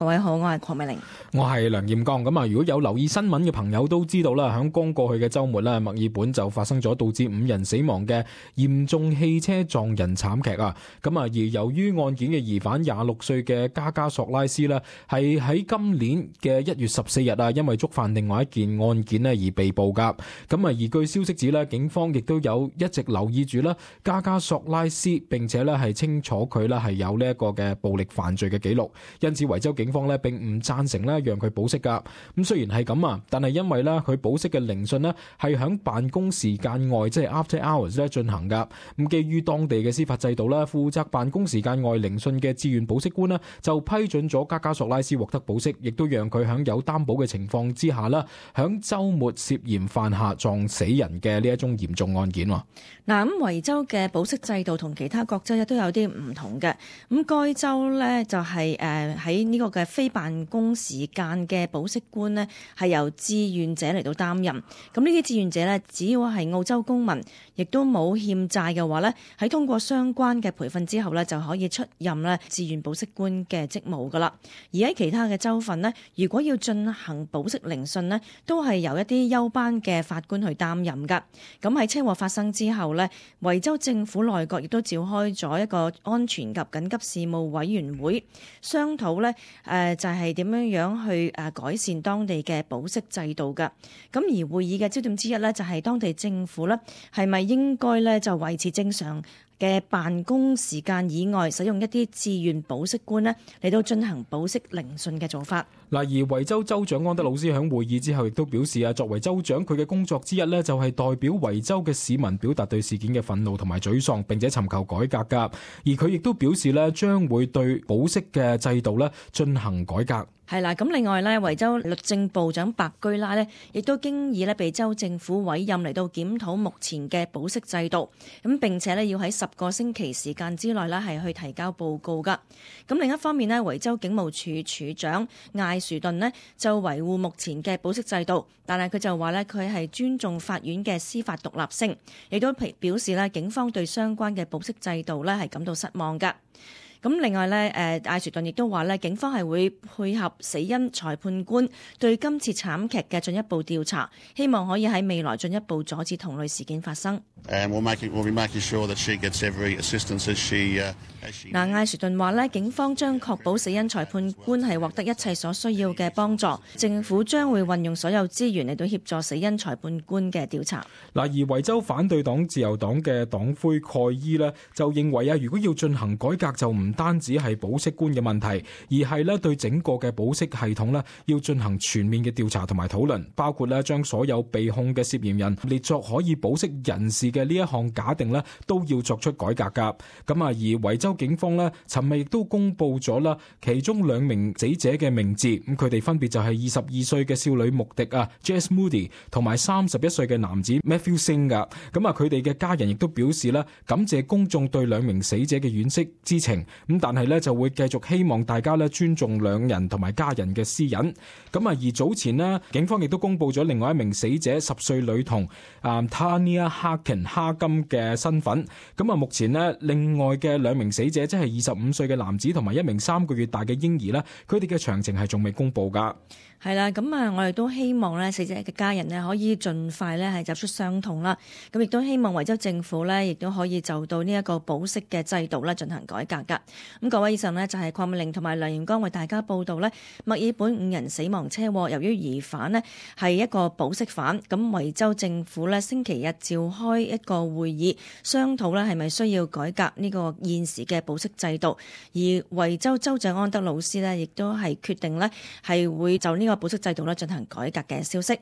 各位好，我係鄺美玲，我係梁彥剛。咁啊，如果有留意新聞嘅朋友都知道啦，響剛過去嘅週末啦，墨爾本就發生咗導致5人死亡嘅嚴重汽車撞人慘劇啊。咁啊，而由於案件嘅疑犯26歲嘅加加索拉斯呢，係喺今年嘅1月14日啊，因為觸犯另外一件案件呢而被捕噶。咁啊，而據消息指呢，警方亦都有一直留意住啦加加索拉斯，並且呢係清楚佢呢係有呢一個嘅暴力犯罪嘅記錄，因此維州警方呢並唔贊成呢讓佢保釋噶。咁雖然係咁啊，但係因為呢佢保釋嘅聆訊呢係響辦公時間外，即係 after hours 咧進行噶。咁基於當地嘅司法制度呢，負責辦公時間外聆訊嘅自願保釋官呢就批准咗加加索拉斯獲得保釋，亦都讓佢響有擔保嘅情況之下啦，響週末涉嫌犯下撞死人嘅呢一宗嚴重案件。嗱，咁維州嘅保釋制度同其他各州都有啲唔同嘅。咁該州呢就係喺呢個嘅非辦公時間嘅保釋官呢係由志願者嚟到擔任。咁呢啲志願者呢，只要係澳洲公民，亦都冇欠債嘅話呢，喺通過相關嘅培訓之後呢，就可以出任呢志願保釋官嘅職務噶啦。而喺其他嘅州份呢，如果要進行保釋聆訊呢，都係由一啲休班嘅法官去擔任噶。咁喺車禍發生之後呢，維州政府內閣亦都召開咗一個安全及緊急事務委員會，商討呢就係點樣去改善當地嘅保釋制度㗎。咁而會議嘅焦點之一呢，就係當地政府呢係咪應該呢就維持正常嘅辦公時間以外，使用一啲志願保釋官呢嚟到進行保釋聆訊嘅做法。嗱，而維州州長安德魯斯喺會議之後亦都表示啊，作為州長，佢嘅工作之一呢，就係代表維州嘅市民表達對事件嘅憤怒同埋沮喪，並且尋求改革噶。而佢亦都表示呢，將會對保釋嘅制度呢進行改革。係啦，咁另外呢，維州律政部長白居拉呢亦都經已呢被州政府委任嚟到檢討目前嘅保釋制度，咁並且呢要喺10個星期時間之內呢係去提交報告噶。咁另一方面呢，維州警務處處長艾殊頓呢就維護目前嘅保釋制度，但係佢就話呢，佢係尊重法院嘅司法獨立性，亦都表示呢警方對相關嘅保釋制度呢係感到失望噶。咁另外呢，艾殊頓亦都話呢，警方係會配合死因裁判官對今次慘劇嘅進一步調查，希望可以喺未來進一步阻止同類事件發生。艾殊頓話呢，警方將確保死因裁判官係獲得一切所需要嘅幫助，政府將會運用所有資源嚟到協助死因裁判官嘅調查。嗱，而維州反對黨自由黨嘅黨魁蓋伊呢就認為啊，如果要進行改革，就唔單止係保釋官嘅問題，而係咧對整個嘅保釋系統咧要進行全面嘅調查同埋討論，包括咧將所有被控嘅涉嫌人列作可以保釋人士嘅呢一項假定咧都要作出改革噶。咁啊，而維州警方咧尋日亦都公布咗啦，其中2名死者嘅名字，咁佢哋分別就係22歲嘅少女穆迪啊 Jess Moody 同埋31歲嘅男子 Matthew Singh 噶。咁啊，佢哋嘅家人亦都表示啦，感謝公眾對2名死者嘅惋惜之情。咁但係咧就會繼續希望大家咧尊重2人同埋家人嘅私隱。咁啊，而早前呢，警方亦都公布咗另外1名死者10歲女童Tania Harkin 哈金嘅身份。咁啊，目前呢，另外嘅2名死者即係25歲嘅男子同埋1名3個月大嘅嬰兒呢，佢哋嘅詳情係仲未公布噶。係啦，咁啊，我哋都希望咧死者嘅家人呢可以盡快咧係走出傷痛啦。咁亦都希望維州政府呢亦都可以就到呢一個保釋嘅制度咧進行改革噶。咁各位以上呢就係鄺美玲同埋梁彥剛為大家報道呢墨爾本5人死亡車禍，由於疑犯呢係一個保釋犯，咁維州政府呢星期日召開一個會議，商討呢係咪需要改革呢個現時嘅保釋制度。而維州州長安德魯斯呢亦都係決定呢係會就呢個保釋制度咧進行改革嘅消息。